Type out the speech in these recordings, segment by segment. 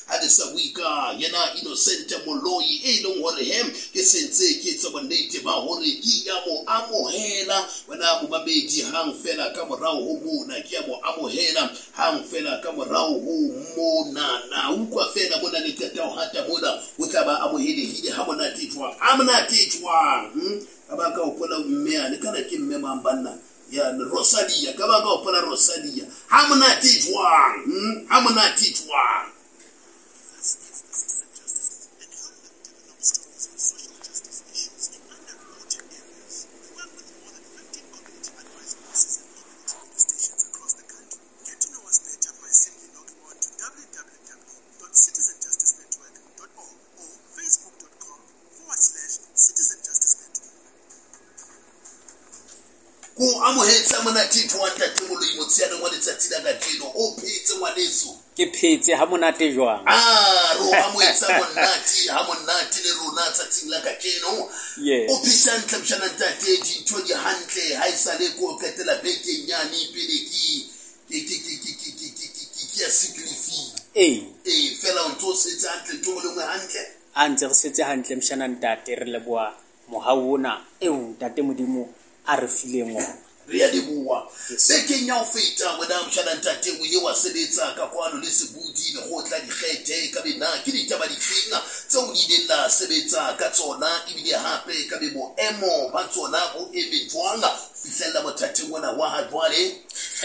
Ha ke sa bue ka yena Innocent Moloi, e leng hore he ke sentse ke etsa bonnete ba hore ke ya mo amohela. Wena momamedi, hang fela ka morao ho mona ke ya mo amohela, hang fela ka morao ho mona na utlwa fela mona le qeta ho hata mona, o tla ba amohelehile ha monate jwang, ha monate jwang. Ka ba ka hopola mme ane, kana ke mme mang banna? Ya Rosalia, ka ba ka hopola Rosalia. Ha monate jwang, ha monate jwang. Ko amohetse monate jwang ntate Moloi motsheaneng wa letsatsi la kajeno? O phetse ngwaneso? Ke phetse ha monate jwang? Ro amohetse monate ha monate le rona tsatsing la kajeno. Yes. O phetse hantle mshana ntate, dintho di hantle ha e sale ko qetela bekeng nyane pele ke ya sick leave. Ee. Ee, fela o ntso setse hantle, ntho e nngwe hantle. A ntse re setse hantle mshana ntate, re leboha mohau ona eo ntate Modimo a re fileng ona. Re a leboha. Yes. Bekeng ya ho feta wena mshana ntate o ile wa sebetsa ka kwano le Sebudi lekgotla dikgethe, ka be na ke ditaba difeng tseo le ileng la sebetsa ka tsona, ebile hape ka be boemo ba tsona bo eme jwang ho fihlella mothating ona wa ha jwale?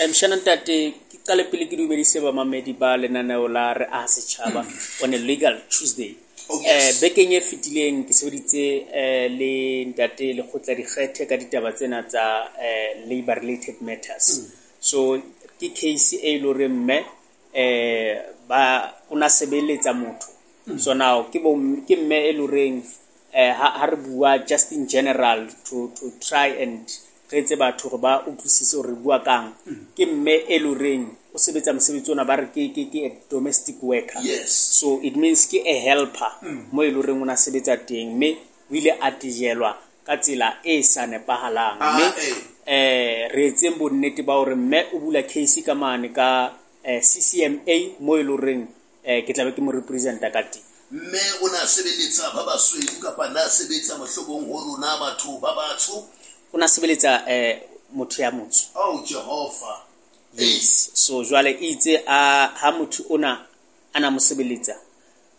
Mshana ntate, ke qale pele ke dumedise bamamedi ba lenaneo la Re Aha Setjhaba on a Legal Tuesday. Oh, yes. Bekeng e fetileng ke sebeditse le ntate lekgotla dikgethe ka ditaba tsena tsa labor related matters. So ke case e le hore mme ba o na sebeletsa motho. So now ke bo ke mme e le horeng ha re bua just in general to try and re etse batho hore ba utlwisise hore re bua kang. Ke mme e le horeng o sebetsa mosebetsi ona ba re ke a domestic worker. Yes. So it means ke a helper mo e le horeng o na sebetsa teng, mme o ile a tejelwa ka tsela e sa nepahalang. Mme re etseng bonnete ba hore mme o bula case ka mane ka CCMA mo e le horeng ke tla be ke mo representa ka teng. Mme o na sebeletsa ba basweu kapa na sebetsa mohlomong ho rona batho ba batsho? O na sebeletsa motho ya motsho. Oh Jehova. Yes. So jwale itse a ha motho ona a na mo sebeletsa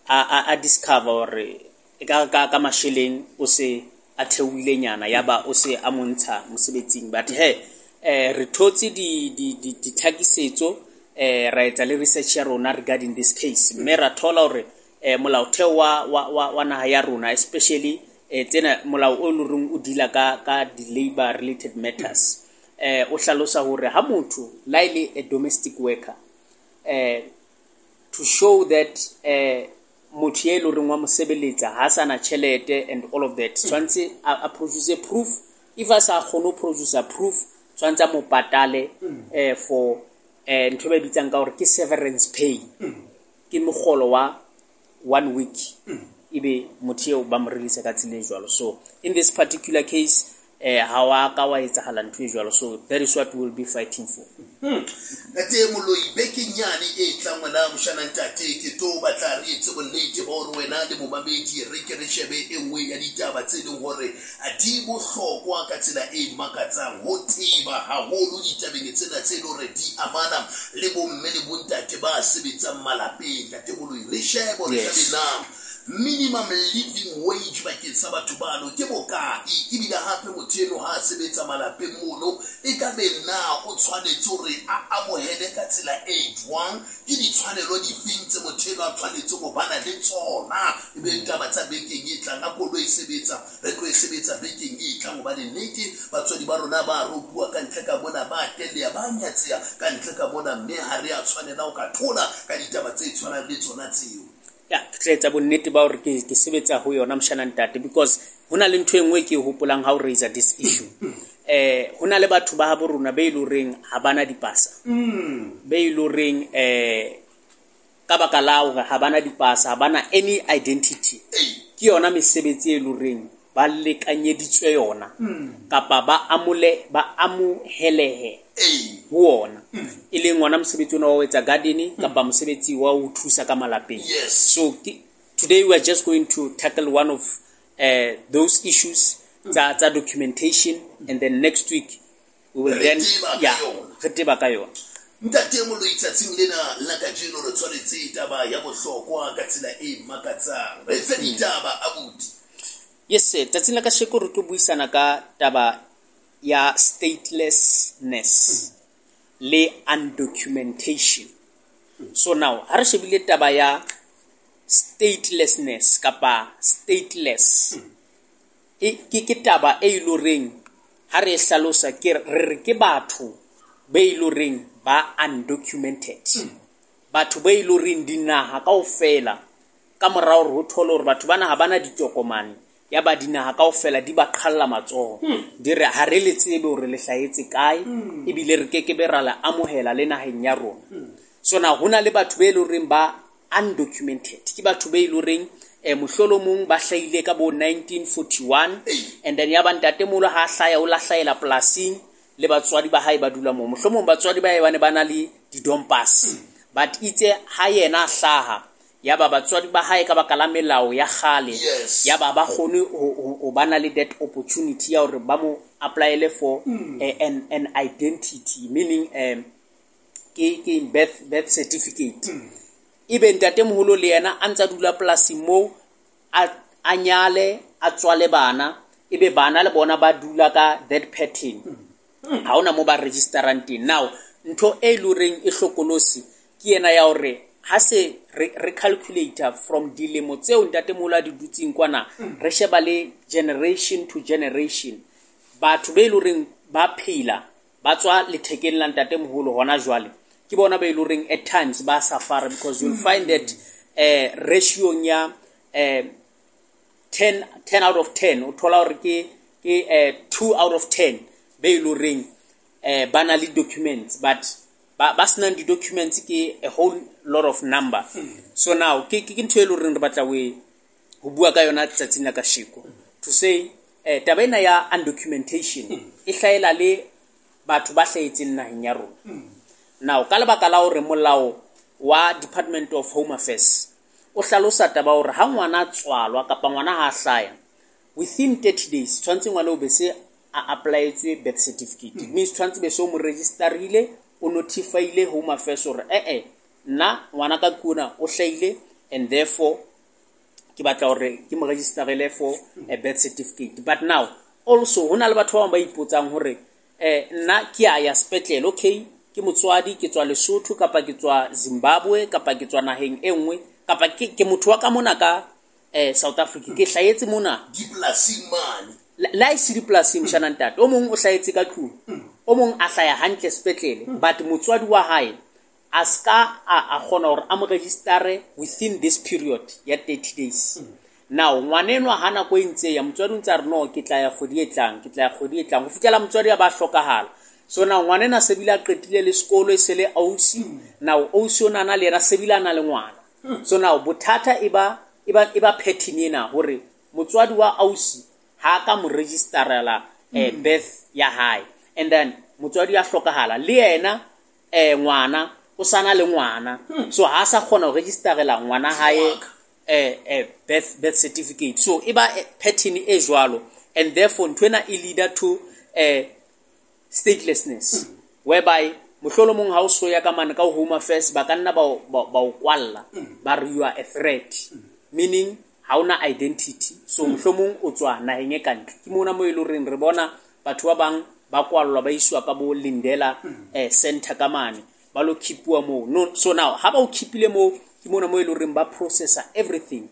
a discover hore e ka ka masheleng o se a theohile nyana, ya ba o se a montsha mosebetsing. But he re thotse di ditlhakisetso, ra etsa le research ya rona regarding this case, mme ra thola hore molaotheo wa naha ya rona, especially tsena molao o loreng o deala ka di labor related matters, o hlalosa hore ha motho la ile a domestic worker, to show that motho e loreng wa mo sebeletsa ha sana tjhelete and all of that, tshwantse a produce proof. If a sa kgone ho produce proof, tshwantse a mo patale for ntho ba bitsang ka hore ke severance pay, ke mogolo wa 1 week, ebe motho eo ba mo release ka tsela e jwalo. So in this particular case ha wa ka wa etsahala ntho e jwalo. So that is what we will be fighting for. Ntate Moloi, bekeng nyane e tlang wena moshana ntate, ke tlo batla re etse bonnete ba hore wena le momamedi re ke re shebe e nngwe ya ditaba tse leng hore di bohlokwa ka tsela e makatsang ho teba haholo ditabeng tsena tse leng hore di amana le bomme le bontate ba sebetsang malapeng. Ntate Moloi, re shebe hore Yes. na minimum living wage bakeng sa batho bano ke bokae, ebile hape motho eno ha a sebetsa malapeng mono e ka be na o tshwanetse hore a amohele ka tsela e jwang, ke ditshwanelo difeng tse motho eno a tshwanetse ho bana le tsona. Ebe taba tsa bekeng e tlang, a koloi e sebetsa, re tlo e sebetsa bekeng e tlang, hobane nnete batswadi ba rona ba ropuwa ka ntle ka mona, ba telea, ba nyatseha ka ntle ka mona, mme ha re a tshwanela ho ka thola ka ditaba tse tshwanang le tsona tseo. Ya, ke tla etsa bonnete ba hore ke sebetsa ho yona mshana ntate, because hona le ntho e nngwe ke e hopolang ha o raise this issue. Hona le batho ba habo rona be e le horeng ha bana dipasa. Be e le horeng ka baka la hore ha bana dipasa, ha bana any identity. Ke yona mesebetsi e le horeng ba lekanyeditswe yona kapa ba amohelehe ho ona, e leng ona mosebetsi ona wa ho etsa garden kapa mosebetsi wa ho thusa ka malapeng. So today we are just going to tackle one of those issues tsa documentation, and then next week we will then re teba ka yona. Ntate Moloi, tsatsing lena la kajeno re tshwanetse taba ya bohlokwa ka tsela e makatsang. Re fe ditaba abuti. Yes, sir. Tsatsing la kasheko re tlo buisana ka taba ya statelessness le undocumentation. So now, ha re shebile taba ya statelessness kapa stateless, ke taba e iloreng ha re hlalosa ke re ke batho be iloreng ba undocumented. Batho ba iloreng dinaha kaofela ka morao hore ho thole hore batho bana ha bana ditokomane, ya ba dinaha kaofela di ba qhalla matsoho, di re ha re le tsebe hore le hlahetse kae, ebile re kekebe ra le amohela le naheng ya rona. So now hona le batho be loreng ba undocumented, ke batho be loreng mohlolomong ba hlahile ka bo 1941, and then ya ba ntatemoholo ha hlaya o la hlahela polasing le batswadi ba hae ba dula moo. Mohlomong batswadi ba hae ba ne ba na le di-dompas, but itse ha yena a hlaha ya ba batswadi ba hae ka baka la melao ya kgale, ya ba ba kgone ho ba na le that opportunity ya hore ba mo applyele for an identity, meaning ke birth certificate. Ebe ntatemoholo le yena a ntsa dula polasing moo, a nyale, a tswale bana, ebe bana le bona ba dula ka that pattern. Ha hona mo ba registerang teng. Now ntho e loreng e hlokolosi ke yena ya hore ha se re calculator from dilemo tseo ntatemoholo a di dutseng kwana, re sheba le generation to generation, batho be loreng ba phela ba tswa lethekeng la ntatemoholo hona jwale, ke bona ba loreng at times ba suffer, because you'll find that ratio ya 10 out of 10 o thola hore ke 2 out of 10 be loreng ba na le documents, but ba senang di-documents ke a whole lot of number. So now ke ntho e loreng re batla ho bua ka yona tsatsing la kasheko, to say taba ena ya undocumentation e hlahela le batho ba hlahetseng naheng ya rona. Now ka lebaka la hore molao wa Department of Home Affairs o hlalosa taba hore ha ngwana tswalwa kapa ngwana ha hlaya within 30 days tshwantse ngwana o be se a applyetswe birth certificate. It means tshwantse be se o mo registerile, o notifyile Home Affairs hore nna ngwana ka kuna o hlahile, and therefore ke batla hore ke mo registerele for a birth certificate. But now also hona le batho ba bang ba ipotsang hore nna ke a ya sepetlele, okay, ke motswadi, ke tswa Lesotho kapa ke tswa Zimbabwe kapa ke tswa naheng e nngwe, kapa ke motho wa ka mona ka South Africa, ke hlahetse mona dipolasing mane, la e se dipolasing mshana ntate, o mong o hlahetse ka tlung, o mong a hlaya hantle sepetlele, but motswadi wa hae a ska a kgona hore a mo registere within this period ya 30 days. Now ngwanenwa ha nako e ntse ya motswadi o ntse a re no, ke tla ya kgwedi e tlang, ke tla ya kgwedi e tlang, ho fihlela motswadi a ba hlokahala. So now ngwanena se bile a qetile le sekolo, e se le ausi. Now ausi ona na le yena se bile a na le ngwana. So now bothata e ba pattern ena hore motswadi wa ausi ha ka mo registerela birth ya hae, and then motswadi ya hlokahala le yena ngwana o sana le ngwana, so ha sa kgona ho registerela ngwana hae birth certificate. So e ba pattern e jwalo, and therefore ntho ena e leader to statelessness, whereby mohlolomong ha o so ya ka mane ka Home Affairs ba ka nna ba o kwalla, ba re you are a threat, meaning ha ona identity. So mohlomong o tswa naheng e kantle. Ke mona mo e loreng re bona batho ba bang ba kwallwa ba iswa ka bo Lindela center ka mane, ba lo keepuwa moo. No, so now ha ba o keepile moo, ke mona mo e loreng ba processa everything,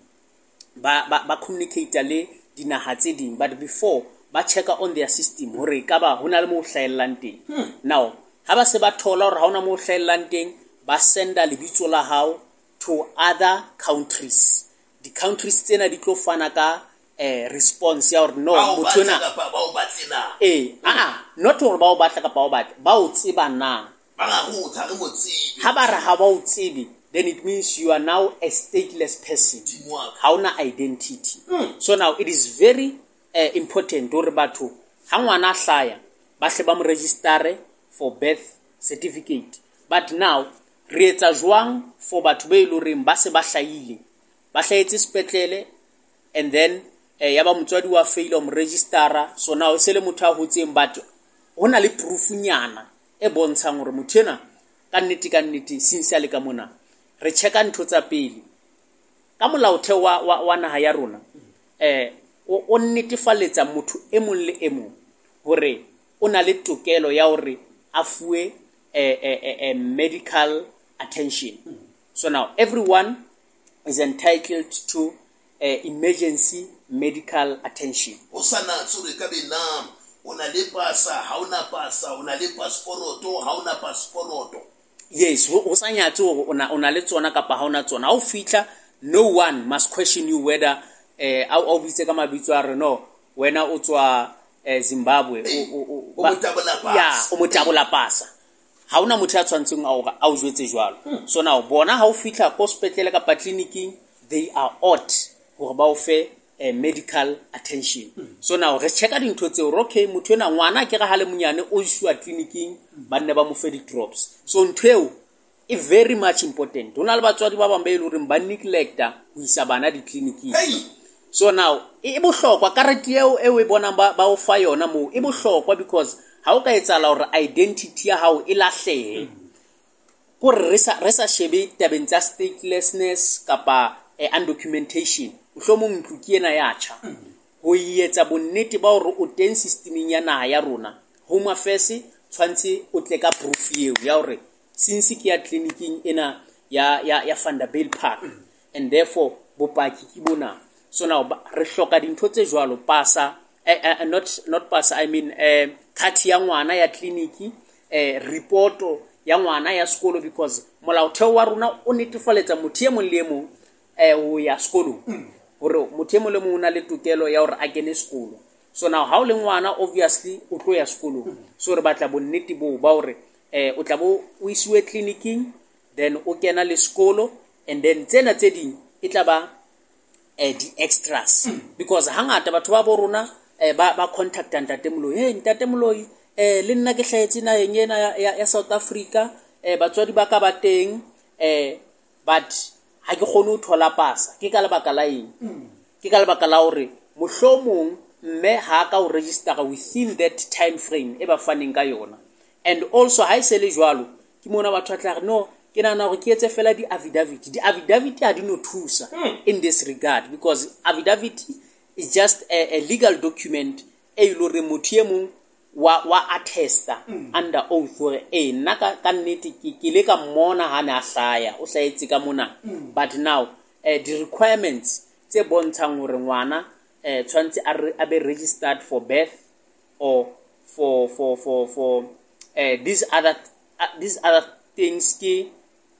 ba communicate le dinaha tse ding, but before ba checka on their system hore ka ba hona le mo hlaellang teng. Now ha ba se ba thola hore ha hona mo hlaellang teng, ba senda lebitso la hao to other countries. The countries tsena di tlo fana ka response ya hore no, motho ena not hore ba o batla kapa ba o batla, ba o tseba na, ha ba re ha ba o tsebe, then it means you are now a stateless person. Ha ona identity. So now it is very important hore batho ha ngwana a hlaya ba hle ba mo register for birth certificate. But now re etsa jwang for batho be leng horeng ba se ba hlahile, ba hlahetse sepetlele, and then ya ba motswadi wa faila ho mo registera, so now e se le motho a hotseng, but ho na le proof nyana e bontshang hore motho enwa ka nnete ka nnete since a le ka mona. Re checka ntho tsa pele ka molaotheo wa naha ya rona, o netefaletsa motho e mong le e mong hore o na le tokelo ya hore a fuwe medical attention. So now everyone is entitled to emergency medical attention. O sa natse hore ka be na o na le pasa, ha o na pasa, o na le passport, ha o na passport. Yes, ho sa nyatse hore o na le tsona kapa ha o na tsona. Ha o fihla, no one must question you whether a o bitse ka mabitso a re no, wena o tswa Zimbabwe, o motabola pasa. Ya, o motabola pasa. Ha hona motho ya tshwantseng a o jwetse jwalo. So now bona ha o fihla ko sepetlele kapa clinicing, they are ought hore ba o fe medical attention. So now re checka dintho tseo, hore okay, motho ena ngwana ke re ha le monyane o isiwa clinicing, ba nne ba mo fe di-drops. So ntho eo e very much important. Ho na le batswadi ba bang ba e leng horeng ba neglecta ho isa bana ditleliniking. Hey! So now e bohlokwa karete eo e o e bonang ba o fa yona moo, e bohlokwa because ha o ka etsahala hore identity ya hao e lahlehe, kore re sa shebe tabeng tsa statelessness kapa undocumentation, mohlomong ntlo ke ena ya tjha, ho etsa bonnete ba hore o teng systemeng ya naha ya rona, Home Affairs tshwantse o tle ka proof eo ya hore since ke ya clinicing ena ya Vanderbijlpark, and therefore bopaki ke bona. So now re hloka dintho tse jwalo, pasa, not pasa, I mean card ya ngwana ya clinic, reporto ya ngwana ya sekolo, because molaotheo wa rona o netefaletsa motho e mong le e mong ho ya sekolong, hore motho e mong le mong o na le tokelo ya hore a kene sekolo. So now ha o le ngwana, obviously o tlo ya sekolong, so re batla bonnete boo ba hore o tla bo o isiwe clinicing, then o kena le sekolo, and then tsena tse ding e tla ba di-extras, because hangata batho ba bo rona ba contacta Ntate Moloi, hey Ntate Moloi, le nna ke hlahetse naheng ena ya South Africa, batswadi ba ka ba teng, but ha ke kgone ho thola pasa. Ke ka lebaka la eng? Ke ka lebaka la hore mohlomong mme ha ka o registera within that time frame e ba faneng ka yona. And also ha e se le jwalo, ke mona batho ba tla re no, ke nahana hore ke etse fela di-affidavit. Di-affidavit ha di no thusa in this regard, because affidavit is just a legal document e le hore motho e mong wa attesta under oath hore ee, nna ka nnete ke le ka mmona ha ne a hlaya, o hlahetse ka mona. But now di-requirements tse bontshang hore ngwana tshwanetse a be registered for birth or for these other things, ke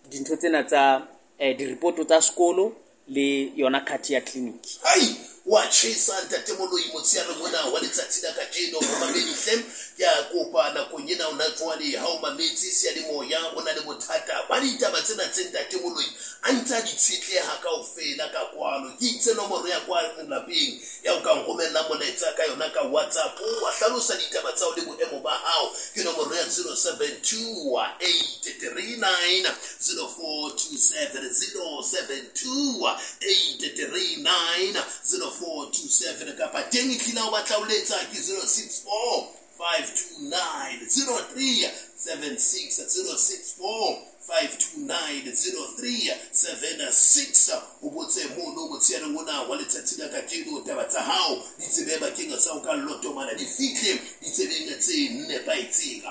dintho tsena tsa di-report tsa sekolo le yona card ya clinic. Hai, wa tjhesa Ntate Moloi motsheare mona wa letsatsi la kajeno. Momamedi hle, ke a kopa nakong ena ona jwale ha o mametse seyalemoya, o na le bothata ba ditaba tsena tse Ntate Moloi a ntse a di tshetleha kaofela ka kwano, ke itse nomoro ya kwa lapeng ya o ka nromella molaetsa ka yona ka WhatsApp, wa hlalosa ditaba tsa hao le boemo ba hao, ke nomoro ya 072 839 0427, 072 839 0427, kapa teng e tlile o batla o letsa ke 064 529 0376, 064 529 0376. O botse mono motsheareng ona wa letsatsi la kajeno, taba tsa hao di tsebe bakeng sa ho ka lotomana di fihle ditsebeng tse nepahetseng.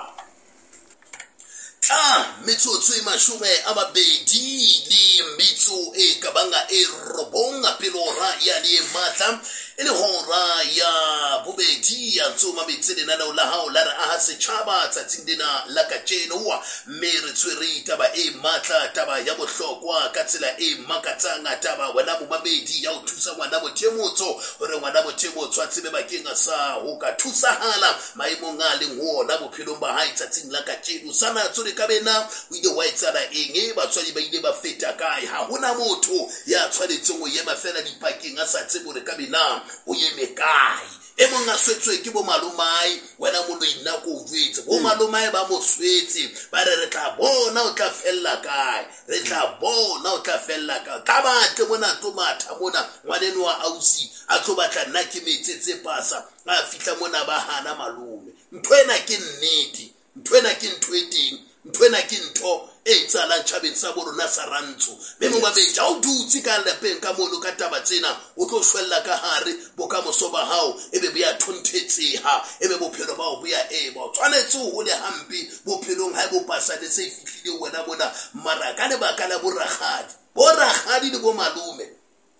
Tla metsotso e 28 e ka banga e 9 pele hora ya le matla e le hora ya bobedi ya ntse o mametse lenaneo la hao la Re Aha Setjhaba tsatsing lena la kajeno, mme re tshwere taba e matla, taba ya bohlokwa ka tsela e makatsang, taba wena momamedi ya ho thusa ngwana motho e motsho hore ngwana motho e motsho a tsebe bakeng sa ho ka thusahala maemong a leng ho ona bophelong ba hae tsatsing la kajeno. Sana tsore ka bena o ile wa etsahala eng, e batswadi ba ile ba feta kae? Ha hona motho ya tshwanetseng ho ema fela dipakeng a sa tsebe hore ka bena na o eme kae. E mong a swetswe ke bo malomae, wena moloi nna ko o jwetse, bo malomae ba mo swetse, ba re re tla bona o tla fella kae, re tla bona o tla fella kae. Tla batle mona tlo matha mona, ngwaneno wa ausi a tlo batla nna ke metsetse pasa, a fihla mona ba hana malome. Ntho ena ke nnete, ntho ena ke ntho e teng, ntho ena ke ntho e etsahalang tjhabeng sa bo rona sa rantsho. Mme momamedi, ha o dutse ka lapeng ka mono ka taba tsena, o tlo shwella ka hare bokamoso ba hao, ebe bo ya thonthetseha, ebe bophelo ba hao bo ya ema. O tshwanetse o hole hampe bophelong ha e bo pasa le se fihlile wena mona, mara ka lebaka la borakgadi, borakgadi le bo malome,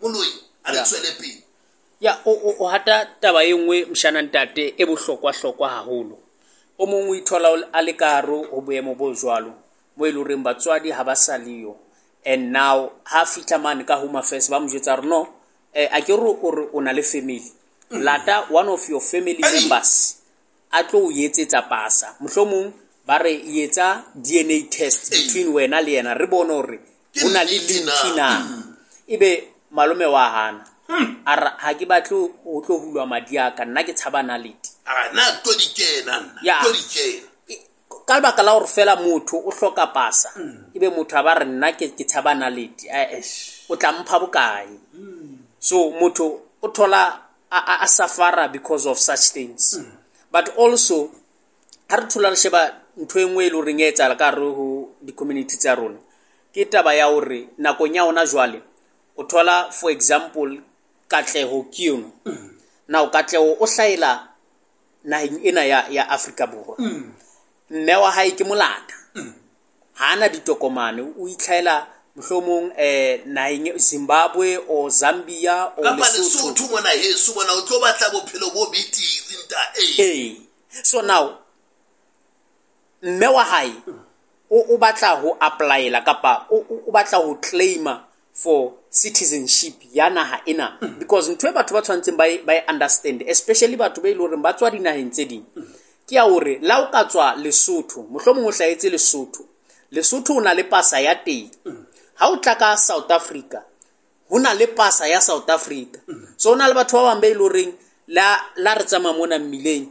moloi a re tswele pele. Ya, o hata taba e nngwe mshana ntate e bohlokwa-hlokwa haholo. O mong o ithola a le ka hare ho boemo bo jwalo, mo e leng horeng batswadi ha ba sa leyo. And now ha fihla mane ka Home Affairs ba mo jwetsa hore no, a ke re o re o na le family. Lata one of your family members a tlo o etsetsa pasa. Mohlomong ba re etsa DNA test between wena le yena, re bone hore ho na le link na. Ebe malome wa hana. A re ha ke batle ho tlo hulwa madi a ka, nna ke tshaba nalete. A na tlo di kena nna, tlo di kena. Ka lebaka la hore fela motho o hloka pasa, ebe motho a ba re nna ke tshaba nalete, o tla mpha bokae? So motho o thola a suffer because of such things. But also ha re thola re sheba ntho e nngwe e leng horeng e etsahala ka hare ho di-community tsa rona, ke taba ya hore nakong ya hona jwale o thola for example Katleho ke yona. Now Katleho o hlahela naheng ena ya Afrika Borwa. Mme wa hae ke molata. Ha ana ditokomane, o itlhaela mohlomong naheng Zimbabwe or Zambia or Kapa Lesotho. Lesotho mona heso mona o tlo batla bophelo bo betere nta. Ee. So now mme wa hae o batla ho applyela kapa o batla ho claima for citizenship ya naha ena, because ntho e batho ba tshwantseng ba e understand, especially batho ba e leng hore ba tswa dinaheng tse ding, ke ya hore la o ka tswa Lesotho, mohlomong o hlahetse Lesotho, Lesotho o na le pasa ya teng. Ha o tla ka South Africa, ho na le pasa ya South Africa. So ho na le batho ba bang ba e leng horeng la re tsamaya mona mmileng,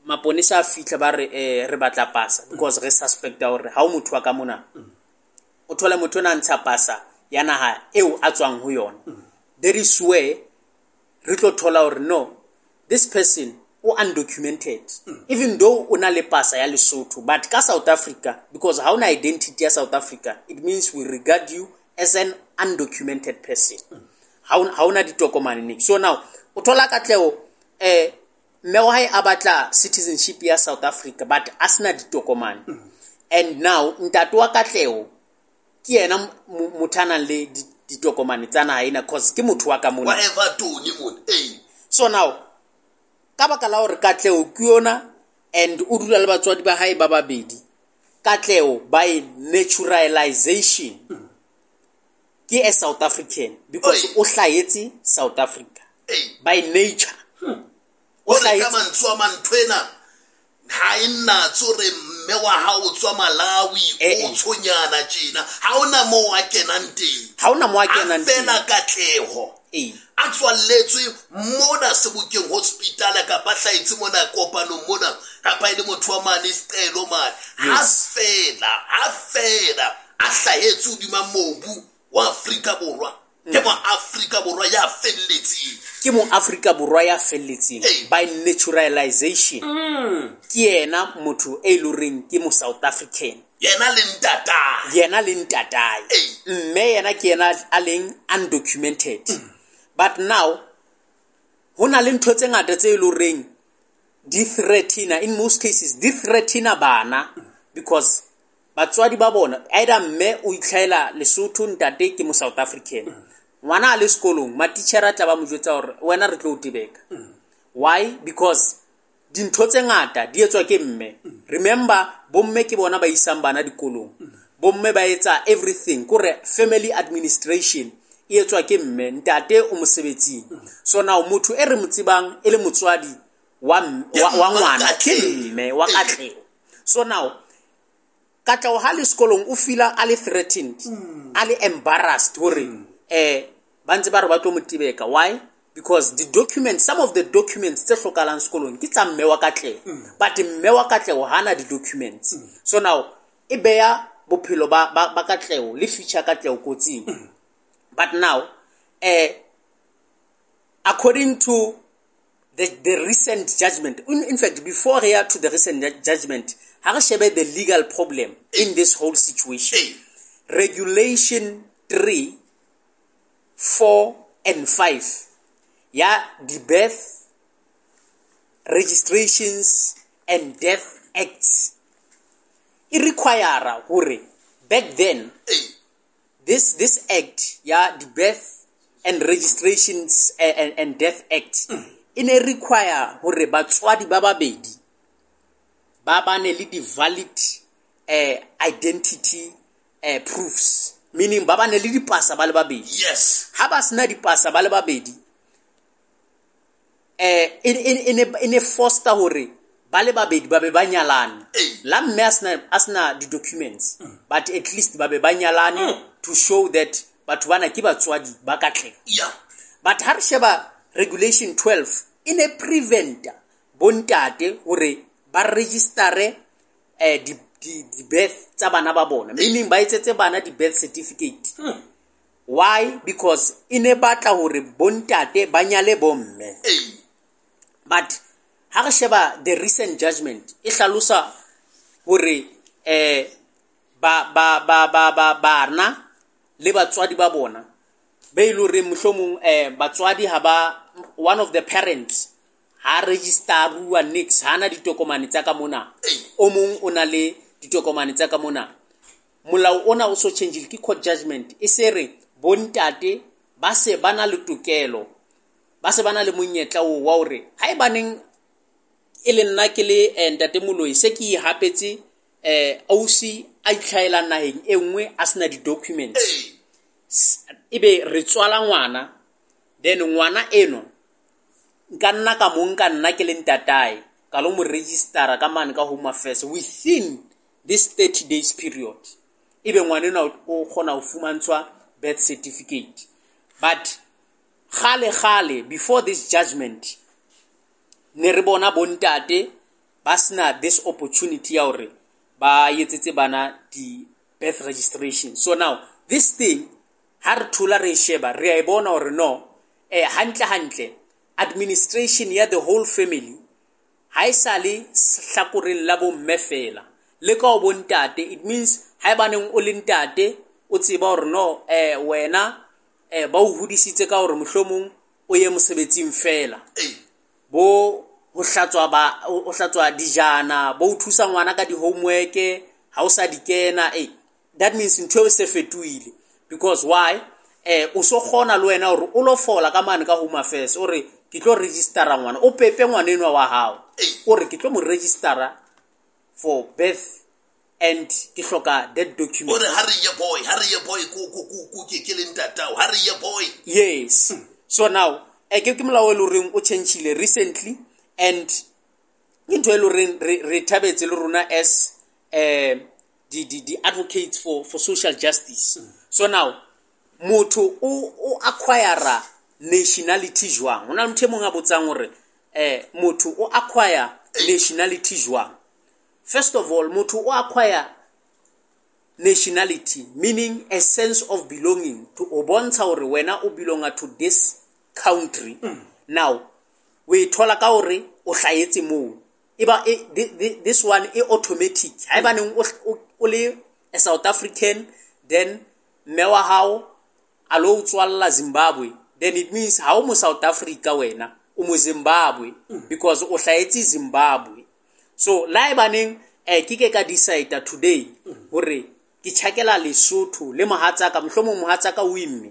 maponesa a fihla ba re, re batla pasa because re suspecta hore ha o motho wa ka mona. O thole motho ona a ntsha pasa ya naha eo a tswang ho yona. There is where re tlo thola hore no, this person o undocumented, even though o na le pasa ya Lesotho, but ka South Africa, because ha ona identity ya South Africa, it means we regard you as an undocumented person. Ha ona ditokomane ne. So now o thola Katleho, mme wa hae a batla citizenship ya South Africa, but a sena ditokomane. And now ntate wa Katleho ke yena motho a nang le ditokomane tsa naha ena, cause ke motho wa ka mona. Wa Everton mona, ee. So now ka baka la hore Katleho ke yona and o dula le batswadi ba hae ba babedi, Katleho by naturalization ke a South African because o hlahetse South Africa by nature. O re ka mantswe a manthwena ha e nna tsore mme wa hao o tswa Malawi, o tshonyana tjena, ha ona moo a kenang teng. Ha ona moo a kenang teng. A fela Katleho. A tswalletswe mona Sebokeng hospital kapa hlahetse mona kopanong mona, kapa e le motho wa mane Sicelo mane. Ha fela a hlahetse hodima mobu wa Afrika Borwa. Ke mo Afrika Borwa ya felletseng. Ke mo Afrika Borwa ya felletseng by naturalization. Ke yena motho e leng horeng ke mo South African. Yena le ntatae. Yena le ntatae. Mme yena ke yena a leng undocumented. But now ho na le ntho tse ngata tse e leng horeng di threaten, in most cases di threaten bana, because batswadi ba bona either mme o itlhaela Lesotho, ntate ke mo South African. Ngwana a le sekolong, matitjhere a tla ba mo jwetsa hore wena re tlo o tebeka. Why? Because dintho tse ngata di etswa ke mme. Remember, bomme ke bona ba isang bana dikolong. Bomme ba etsa everything, kore family administration e etswa ke mme, ntate o mosebetsing. So now motho e re mo tsebang e le motswadi wa ngwana ke mme wa Katleho. So now Katleho ha le sekolong o feel-a a le threatened, a le embarrassed hore ba ntse ba re ba tlo mo tebeka. Why? Because the documents, some of the documents tse hlokahalang sekolong ke tsa mme wa Katleho, but mme wa Katleho hana di-documents. So now e beya bophelo ba Katleho le future Katleho kotsing. But now according to the recent judgment, in fact before re ya to the recent judgment, ha re shebe the legal problem in this whole situation. Regulation 3, 4 and 5 ya the Birth Registrations and Death Acts e require hore back then this act ya the Birth and Registrations and Death Act e ne require hore batswadi ba babedi ba bane le di-valid identity proofs, meaning ba bane le dipasa ba le babedi. Ha ba sena dipasa ba le babedi, e ne foster hore ba le babedi ba be ba nyalane. La mme a sena di-documents, but at least ba be ba nyalane to show that batho bana ke batswadi ba Katleho. But ha re sheba regulation 12 e ne preventa bontate hore ba registere di-birth tsa bana ba bona, meaning ba etsetse bana di-birth certificate. Why? Because e ne batla hore bontate ba nyale bomme. But ha re sheba the recent judgment e hlalosa hore ba bana le batswadi ba bona be ile hore mohlomong batswadi ha ba, one of the parents ha registeruwa nix, ha na ditokomane tsa ka mona, o mong o na le ditokomane tsa ka mona. Molao ona o so change ke court judgment e se re bontate ba se ba na le tokelo, ba se ba na le monyetla o wa hore ha e baneng e le nna ke le ntate Moloi se ke ihapetse ausi a itlhaela naheng e nngwe a sena di-documents, ebe re tswala ngwana, then ngwana eno nka nna ka mo nka nna ke le ntatae ka lo mo registera ka mane ka Home Affairs within this 30 days period, ebe ngwana enwa o kgona ho fumantshwa birth certificate. But kgale kgale before this judgment ne re bona bontate ba sena this opportunity ya hore ba etsetse bana di birth registration. So now this thing ha re thola re sheba re a e bona hore no hantle hantle administration ya the whole family ha e sale hlakoreng la bomme fela le ka o bontate. It means ha e baneng o le ntate o tseba hore no wena ba o hodisitse ka hore mohlomong o ye mosebetsing fela, bo ho hlatswa ba o hlatswa dijana, bo o thusa ngwana ka di-homework ha o sa di kena, that means ntho e se fetohile. Because why? O so kgona le wena hore o lo fola ka mane ka Home Affairs o re ke tlo registera ngwana, o pepe ngwana enwa wa hao, o re ke tlo mo registera for birth and ke hloka that document. O re ha re ye boy, ha re ye boy ko ke le ntatao, ha re ye boy. Yes. So now ke molao e le horeng o changile recently, and ke ntho e le horeng re thabetse le rona as the advocates for social justice. So now motho o acquire nationality jwang? Hona le motho e mong a botsang hore motho o acquire nationality jwang? First of all, motho o acquire nationality meaning a sense of belonging, to o bontsha hore wena o belonga to this country. Now o e thola ka hore o hlahetse moo, eba this one e automatic. Ha eba neng o le a South African, then mme wa hao a lo tswalla Zimbabwe, then it means ha o mo South Africa wena o mo Zimbabwe, because o hlahetse Zimbabwe. So la e baneng ke ka decide today hore ke tjhakela Lesotho le mohatsaka, mohlomong mohatsaka o imme,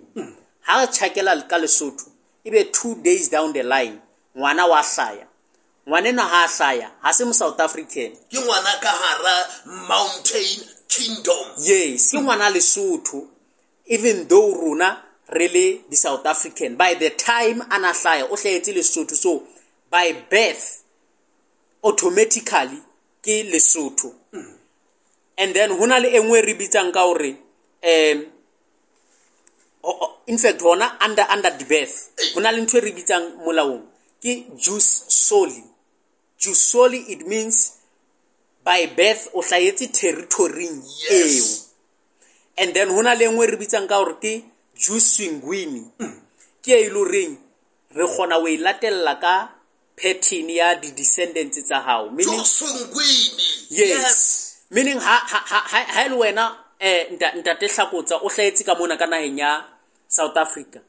ha re tjhakela ka Lesotho ebe 2 days down the line ngwana wa hlaya, ngwana enwa ha hlaya ha se mo South African, ke ngwana ka hara Mountain Kingdom. Yes, ke ngwana Lesotho, even though rona re le di South African, by the time ana hlaya o hlahetse Lesotho, so by birth automatically ke Lesotho. And then hona le engwe re bitsang ka hore in fact hona under the birth Ho na le ntho e re bitsang molaong ke jus soli. Jus soli, it means by birth o hlahetse territory-ing eo. And then ho na le nngwe e re bitsang ka hore ke jus sanguini. Ke e le horeng re kgona ho e latella ka pattern ya di-descendants tsa hao. Meaning, Jus sanguini. Yes. Meaning ha le wena ntate Hlakotsa o hlahetse ka mona ka naheng ya South Africa,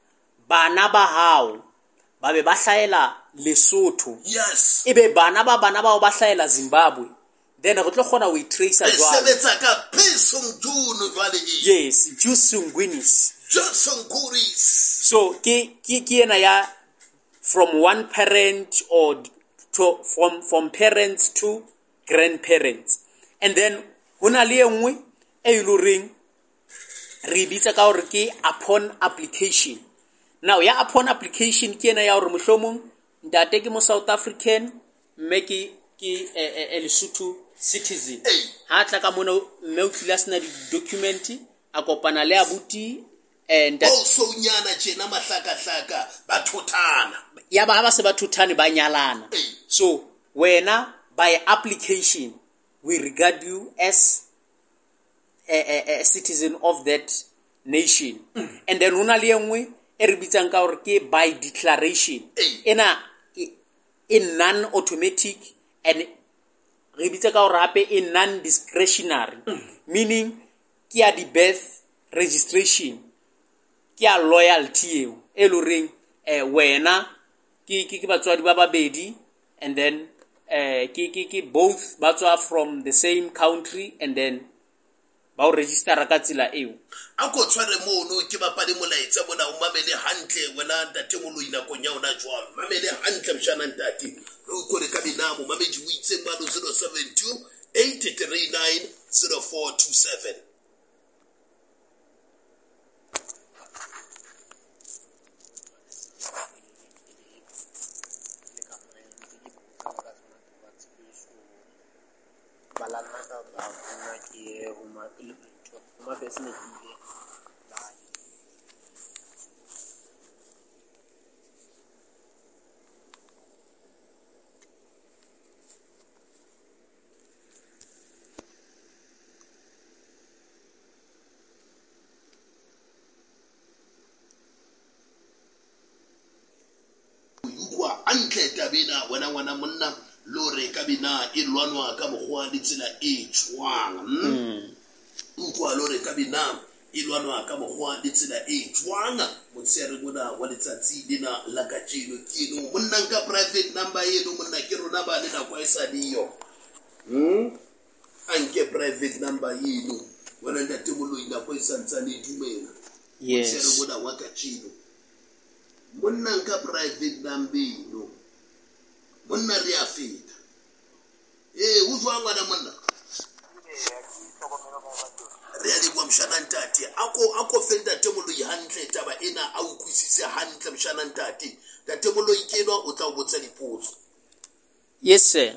bana ba hao ba be ba hlahela Lesotho. Yes. Ebe bana ba bana bao ba hlahela Zimbabwe. Then re tlo kgona ho e tracer Re jwalo. sebetsa ka P June jwale e. Yes, jus sanguinis. Jus sanguinis. So ke ena ya from one parent or to from parents to grandparents. And then ho na le e nngwe e le horeng re bitsa ka hore ke upon application. Now ya upon application ke ena ya hore mohlomong ntate ke mo South African, mme ke Lesotho citizen. Ha tla ka mona mme o tlile a sena di-document, a kopana le abuti and o sonyana tjena mahlakahlaka ba thothana. Ya ba ha ba se ba thothane ba nyalana. So wena by application we regard you as a citizen of that nation. And then ho na le e nngwe e re bitsang ka hore ke by declaration. Ena e non automatic and re bitsa ka hore hape e non discretionary. Meaning ke ya di birth registration, ke ya loyalty eo e le horeng wena ke batswadi ba babedi, and then ke both ba tswa from the same country, and then ba o registera ka tsela eo. A ko tshware mono ke bapale molaetsa mona, o mamele hantle wena ntate Moloi nakong ya hona jwalo. Mamele hantle mshana ntate. Re utlwe ka menamo mamedi o itse mano 072 839 0427. Antle tabena wena ngwana monna lore ka bina e lwanwa ka mokgwa le tsela e jwang. Utlwa lore ka bina e lwanwa ka mokgwa le tsela e jwang. Motshehare mona wa letsatsi lena la kajeno ke eno monna nka private number eno monna ke rona ba le nako e sa leyo. A nke private number eno wena ntate Moloi nako e santsane e dumela. Yes. Motshehare mona wa kajeno monna nka private number eno monna re a feta. O jwang ngwana monna? Re a leboha mshana ntate. A ko fe ntate Moloi hantle taba ena, a utlwisise hantle mshana ntate. Ntate Moloi ke enwa o tla o botsa dipotso. Yes sir.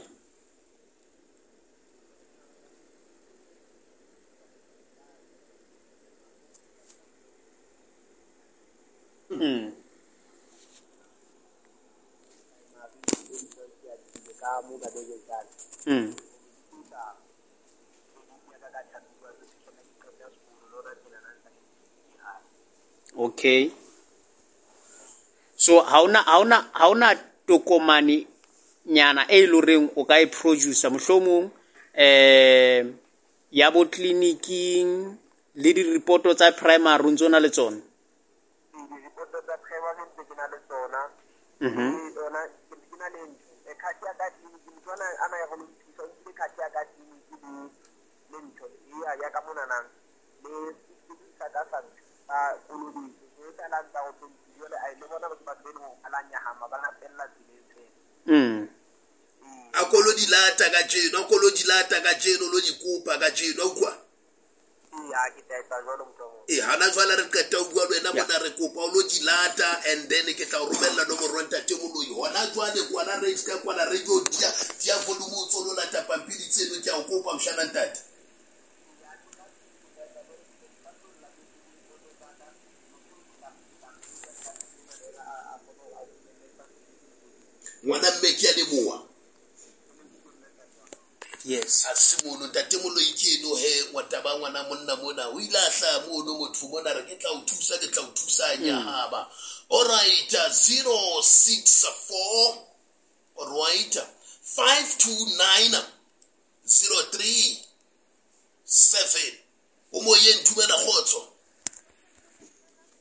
Okay. So ha ona tokomane nyana e loreng o ka e producer mohlomong ya bo clinicing le di report tsa primary ntse ona le tsona. Di report tsa primary ntse ke na le tsona. Yona ke na le ntho e card ya ka clinic motho ana ya go nthusa o nkile card ya ka clinic le ntho ya ka mona nang le sa ka sa a kolobetso e tla lantsa go jole a ile bona batho ba bene go alanya hama ba lapella tseleng. A kolo di lata ka jeno, a kolo di lata ka jeno lo di kopa ka jeno utlwa. Ya ke tla etsa jwalo motho. Hana jwale re qeta ho bua le wena mona re kopa o lo di lata and then ke tla o romella nomoro ya ntate Moloi. Hona jwale kwana re ska kwana radio dia volume o tsolo lata pampiri tseno ke a o kopa mshana ntate. Ngwana mme ke a leboha. Yes. A se mono ntate Moloi ke eno he wa taba ngwana monna mona o ile a hlaha mono motho mona re ke tla o thusa ke tla o thusa nyahaba. All right, 064, all right, 529 03 7. O moyeng, dumela kgotso.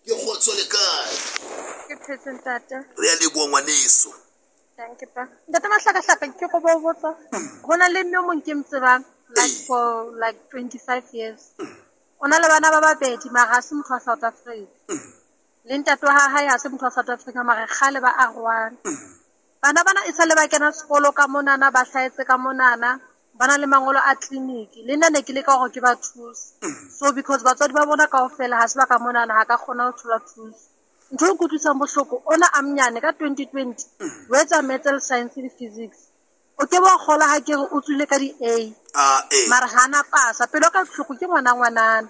Ke kgotso le kae? Ke phetse ntate. Re a leboha ngwaneso. Thank you pa. Ntate Mahlakahlaka ke go bo botsa. Ho na le mme o mong ke mo tsebang like for like 25 years. O na le bana ba babedi mara ha se motho wa South Africa. Le ntate wa hae ha se motho wa South Africa mara kgale ba arohane. Bana bana e sale ba kena sekolo ka monana, ba hlahetse ka monana, ba na le mangolo a clinic. Le nna ne ke leka hore ke ba thuse. So because batswadi ba bona kaofela ha se ba ka monana, ha ka kgona ho thola thuso. Ntho e nkutlwisang bohloko, ona a monyane ka 2020 o etsa maths le science le physics. O ke wa kgola ha ke re o tswile ka di-A. Mara ha na pasa. Pelo ka bohloko ke ngwana ngwanana.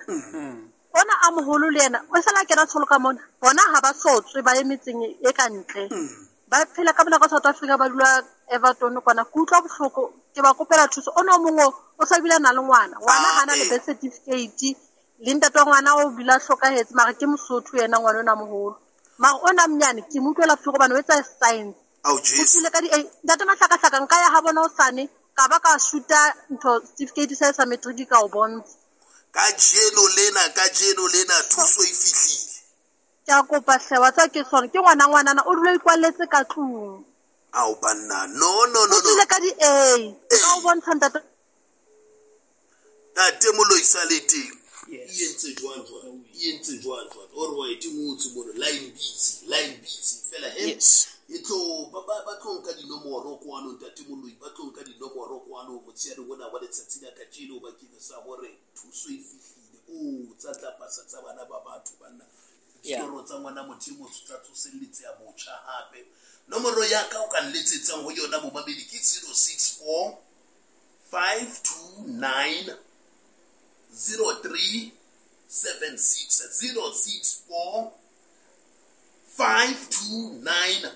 Ona a moholo le yena o sala kena tsholo ka mona. Bona ha ba sotswe ba ye metseng e ka ntle. Ba phela ka mona ka South Africa, ba dula Everton kwana. Ke utlwa bohloko, ke ba kopela thuso. Ona o mongwe o sa bile a na le ngwana. Ngwana ha na le birth certificate, le ntate wa ngwana o bile a hlokahetse, mara ke Mosotho yena ngwana ona moholo. Mara ona monyane ke mo utlwela bohloko hobane o etsa science. Ao, O Jesu. tswile ka di-A. Ntate Mahlakahlaka nka ya ha bona hosane, ka ba ka shoot-a ntho certificate sa sa matric ka o bontsha. Kajeno lena thuso e fihlile. Ke a kopa hle, wa tseba ke sona, ke ngwana ngwanana o dula o ikwalletse ka tlung. Ao banna, no no no O no. tswile ka di-A. Ka o bontsha ntate. Ntate Moloi sa le teng. Yes. E entse jwang jwang? E entse jwang jwang? All right, e ngotswe mono, line busy, line busy. Fela he. Yes. E tlo ba tlo nka dinomoro kwano ntate Moloi, ba tlo nka dinomoro kwano motsheare ona wa letsatsi la kajeno bakeng sa hore thuso e fihlile. O tsa tla pasa tsa bana ba batho banna. Ditoro tsa ngwana motho e motsho tsa tsoselletseha botjha hape. Nomoro ya ka o ka nletsetsang ho yona bomamedi ke 064 529 03 76, 064 529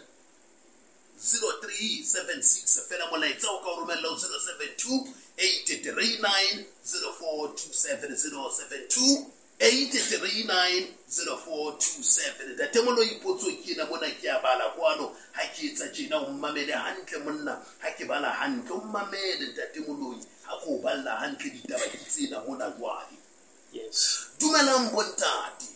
0376. Fela molaetsa o ka o romella ho 072 839 0427, 072 839 0427. Ntate Moloi, potso ke ena mona ke a bala kwano. Ha ke etsa tjena o mmamele hantle monna, ha ke bala hantle o mmamele ntate Moloi, ha ke o balla hantle ditaba ke tsena mona jwale. Yes. Dumelang bontate.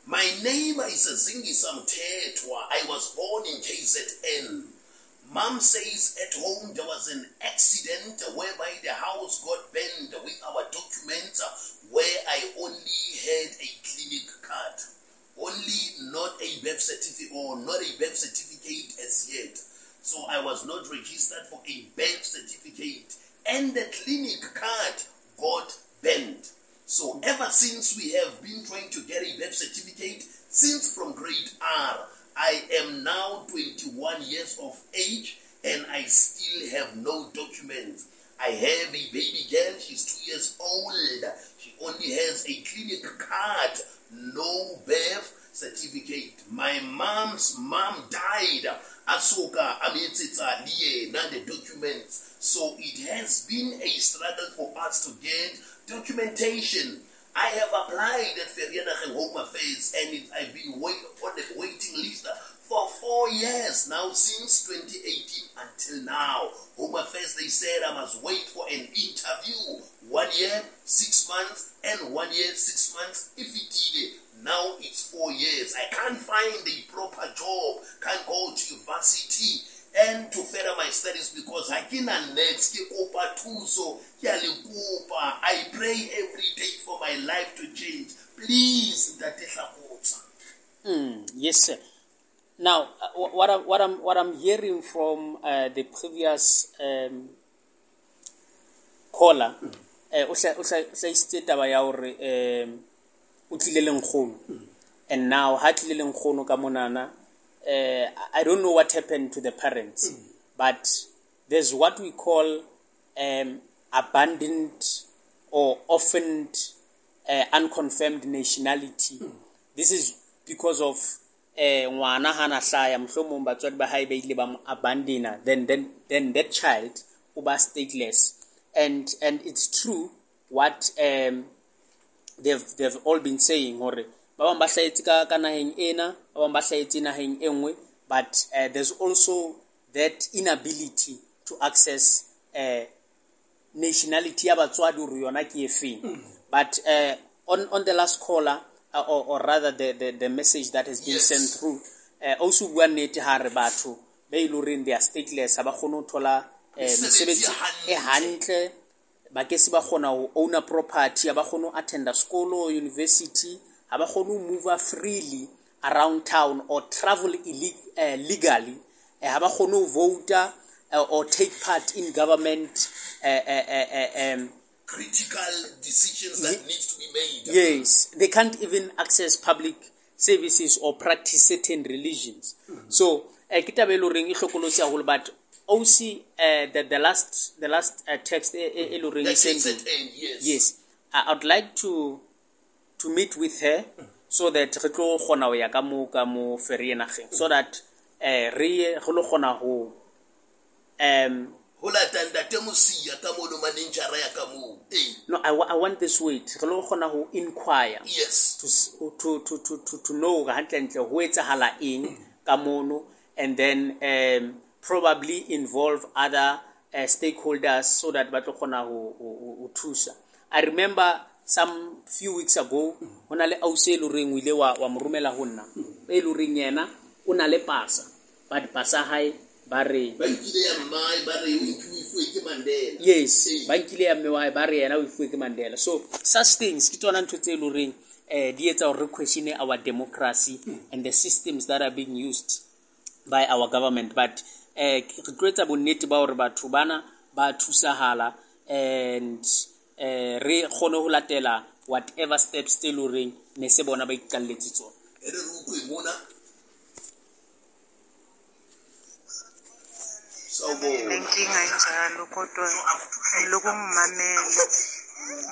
My name is Zingisa Mthethwa. I was born in KZN. Mom says at home there was an accident whereby the house got burned with our documents, where I only had a clinic card. Only not a birth certificate or not a birth certificate as yet. So I was not registered for a birth certificate, and the clinic card got bent. So ever since we have been trying to get a birth certificate, since from grade R, I am now 21 years of age and I still have no documents. I have a baby girl, she's 2 years old. She only has a clinic card, no birth certificate. My mom's mom died. Asoka ametsetsa le yena the documents. So it has been a struggle for us to get documentation. I have applied at Vereeniging Home Affairs and I've been on the waiting list for 4 years now, since 2018 until now. Home Affairs, they said I must wait for an interview. 1 year, 6 months, and 1 year, 6 months. If it did, now it's 4 years. I can't find a proper job, can't go to university and to further my studies because I cannot next. Ke kopa thuso, ke a le kopa. I pray every day for my life to change. Please, Ntate Hlakotsa. Yes, sir. Now, what I'm hearing from the previous caller, o hlahisitse taba ya hore, o tlile le nkgono. And now ha tlile le nkgono ka monana, I don't know what happened to the parents, but there's what we call abandoned or orphaned unconfirmed nationality. This is because of ngwana hana hlaya mohlomong batswadi ba hae ba ile ba mo abandona, then that child o ba stateless. And it's true what they've all been saying, hore ba bang ba hlahetse ka naheng ena, ba bang ba hlahetse naheng e nngwe, but there's also that inability to access nationality ya batswadi hore yona ke efeng. But on the last caller, or rather the message that has been sent through, also bua nnete ha re batho ba ile horeng they are stateless, ha ba kgone ho thola mesebetsi e hantle, ba ke se ba kgona ho owner property, ha ba kgone ho attenda sekolo, university, ha ba kgone ho move freely around town or travel legally, ha ba kgone ho vote or take part in government critical decisions that needs to be made. Yes, they can't even access public services or practice certain religions. So ke taba e loreng e hlokolotsi haholo, but OC the last text e loreng e sent, yes, I would like to meet with her so that re tlo kgona ho ya ka mo Vereeniging, so that re lo kgona ho ho lata ntate Mosia ka mono manenjara ya ka moo. No, I want this wait. Re lo kgona ho inquire. Yes. To know hantlentle ho etsahala eng ka mono, and then probably involve other stakeholders so that ba tlo kgona ho thusa. I remember some few weeks ago ho na le ausi e loreng o ile wa mo romela ho nna, e loreng yena o na le pasa, but pasa hae ba re ba nkile ya mmae, ba re o ifuwe ke Mandela. Yes, ba nkile ya mme wa hae, ba re yena o ifuwe ke Mandela. So such things ke tsona ntho tse loreng di etsa hore re question our democracy and the systems that are being used by our government. But re tlo etsa bonnete ba hore batho bana ba thusahala and re kgone ho latela whatever steps tse loreng ne se bona ba iqalletse tsona. E re utlwe mona. Nenkinga enjalo, kodwa ngilokhu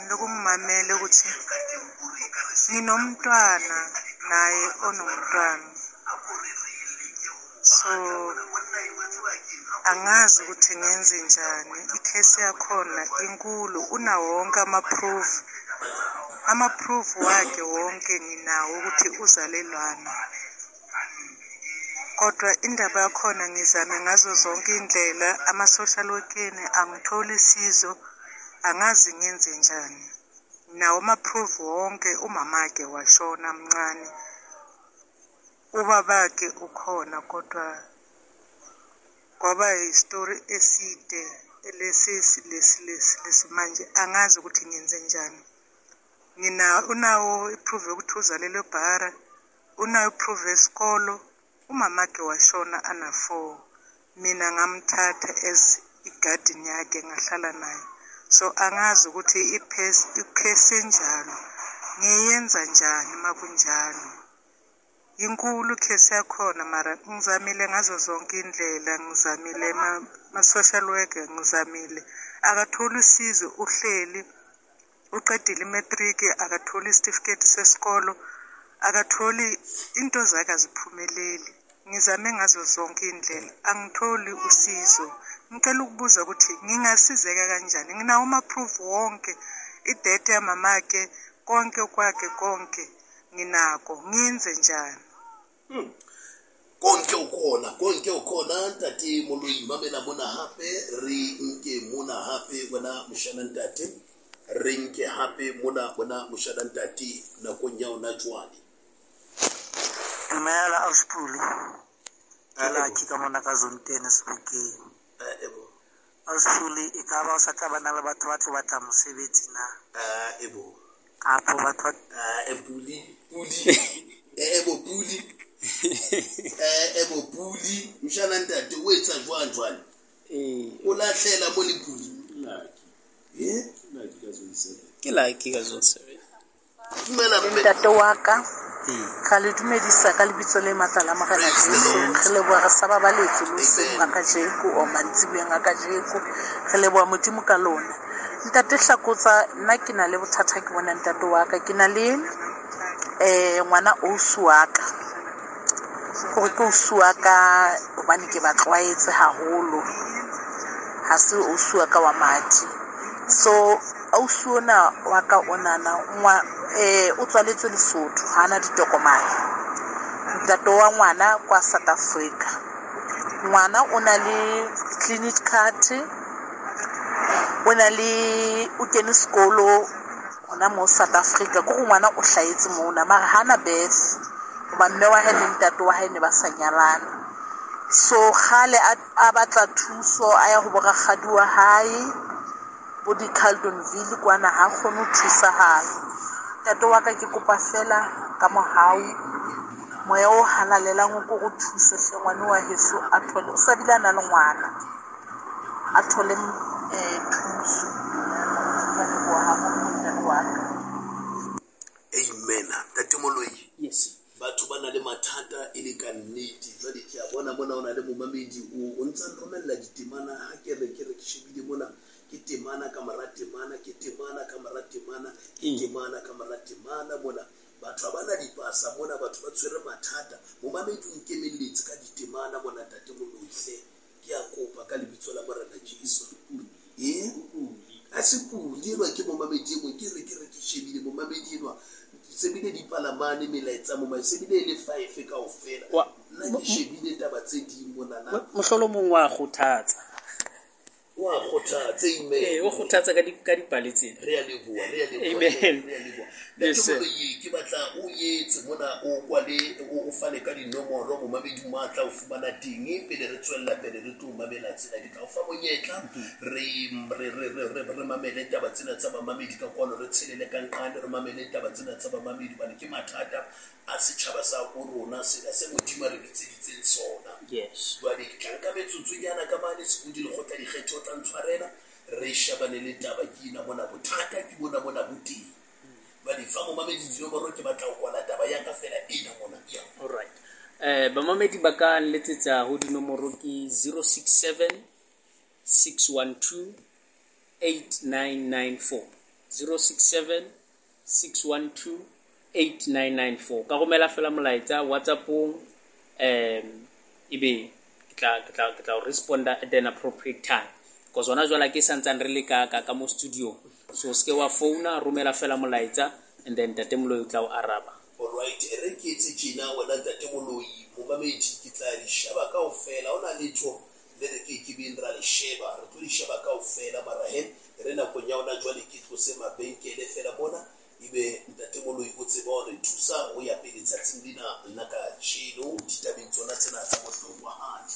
ngimamele ukuthi nginomntwana naye onomntwana, so angazi ukuthi ngenze njani. Ikhesi yakhona inkulu, unawo wonke ama-proof wakhe wonke nginawo ukuthi uzalelwana. Kodwa indaba yakhona ngizame ngazo zonke indlela, ama-social work-eni angitholi sizo, angazi ngenze njani. Nawo ama-proof wonke, umamakhe washona mncane, ubabakhe ukhona, kodwa kwaba yistory eside lesi lesi manje angazi ukuthi ngenze njani. Unawo i-proof yokuthi uzalelwe eBhara, unayo i-proof yesikolo. Umamakhe washona ana 4, mina ngamthatha as igarden yakhe ngahlala naye. So angazi ukuthi ikhesi enjalo ngiyenza njani makunjalo. Inkulu ikhesi yakhona, mara ngizamile ngazo zonke indlela, ngizamile ma-social worker, ngizamile, akatholi usizo. Uhleli uqedile imatric, akatholi isitifiketi sesikolo, akatholi into zakhe, aziphumeleli. Ngizame ngazo zonke indlela, angitholi usizo. Ngicela ukubuza ukuthi ngingasizeka kanjani. Nginawo ama-proof wonke, idate yamamakhe, konke kwakhe, konke nginako, ngiyenze njani? Konke ukhona ntate Moloi, mamela mona hape, re nke mona hape wena moshana ntate, re nke hape mona wena moshana ntate nakong ya ona jwale. Dumela Auspuli, ke Lucky ka mona ka Zone 10 Sebokeng. Auspuli, e ka ba o sa tla bana le batho ba tlo batla mosebetsi na? Kapo batho Puli Puli Puli mshana ntate o etsa jwang jwale? O lahlela mo le Puli. Ke Lucky ka Zone 7. Dumela mme. Ntate wa ka, ra le dumedisa ka lebitso le matla la Morena Jesu. Re leboha re sa babaletse le hoseng ga kajeko o mantsiboyeng a kajeko. Re leboha Modimo ka lona. Ntate Hlakotsa, nna ke na le bothata, ke bona ntate wa ka. Ke na le ngwana ausi wa ka. Hore ke ausi wa ka hobane ke ba tlwaetse haholo. Ha se ausi wa ka wa madi. So ausi ona wa ka onana o tswaletswe Lesotho, ha ana ditokomane. Ntate wa ngwana kwa South Africa. Ngwana o na le clinic card, o na le o kene sekolo hona moo South Africa. Ke hore ngwana o hlahetse mona mara hana birth hoba mme wa hae le ntate wa hae ne ba sa nyalana. So kgale a batla thuso, a ya ho bo rakgadi wa hae bo di-Carltonville kwana, ha kgone ho thusahala. Ntate wa ka ke kopa fela ka mohau, moya o halalelang o ko re thuse hle ngwane wa heso a thole, o sa bile a na le ngwana, a thole thuso. Ka leboha haholo ntate wa ka. Amen. Ntate Moloi. Yes. Batho ba na le mathata e le ka nnete. Jwale ke a bona mona o na le momamedi o ntsa nromella ditemana, ha ke re ke shebile mona, ke temana ka mora temana, ke temana ka mora temana, ke temana ka mora temana mona. Batho ha bana dipasa mona, batho ba tshwere mathata. Momamedi o nkemelletse ka ditemana mona, Ntate Moloi hle. Ke a kopa ka lebitso la Morena Jesu. A se pule enwa ke momamedi e mong, ke re ke shebile momamedi enwa. Se bile dipalamane melaetsa mo, se bile e le 5 kaofela. Nna ke shebile taba tse ding monana. Mohlolomong wa kgothatsa. Wa kgothatsa, amen. O kgothatsa ka dipale tsena. Re a leboha, re a leboha. Amen. Re a leboha. Yes, sir. Ke batla o etse mona, o kwale, o fane ka dinomoro, momamedi mo a tla o fumana teng pele re tswella pele re tlo mamela tsena. Ke tla o fa monyetla, re mamele taba tsena tsa bamamedi ka kwano, re tshelele ka nqane, re mamele taba tsena tsa bamamedi hobane ke mathata a setjhaba sa bo rona sena se Modimo a re bitseditseng sona. Yes. Jwale ke tla nka metsotsonyana ka mane Sebodi lekgotla dikgetho tla ntshwarela, re shebane le taba ke ena mona, bothata ke bona mona bo teng. Jwale fa momamedi dinomoro, ke batla ho kwala taba ya ka fela ena mona. Yeah. All right. Bamamedi ba ka nletsetsa ho dinomoro ke 067 612 8994. 067 612 8994. Ka romela fela molaetsa WhatsAppong, ebe ke tla responda at an appropriate time. Because hona jwale ke santsane re le ka mo studio. So se ke wa founa, romela fela molaetsa and then Ntate Moloi o tla o araba. All right, re ke etse tjena wena Ntate Moloi, momamedi ke tla di sheba kaofela. Hona letho le re ke beng ra le sheba, re tlo di sheba kaofela mara he re nakong ya hona jwale ke tlose mabenkele fela mona, ebe Ntate Moloi o tseba hore thusa ho ya pele tsatsing lena la kajeno ditabeng tsona tsena tsa bohlokwahadi.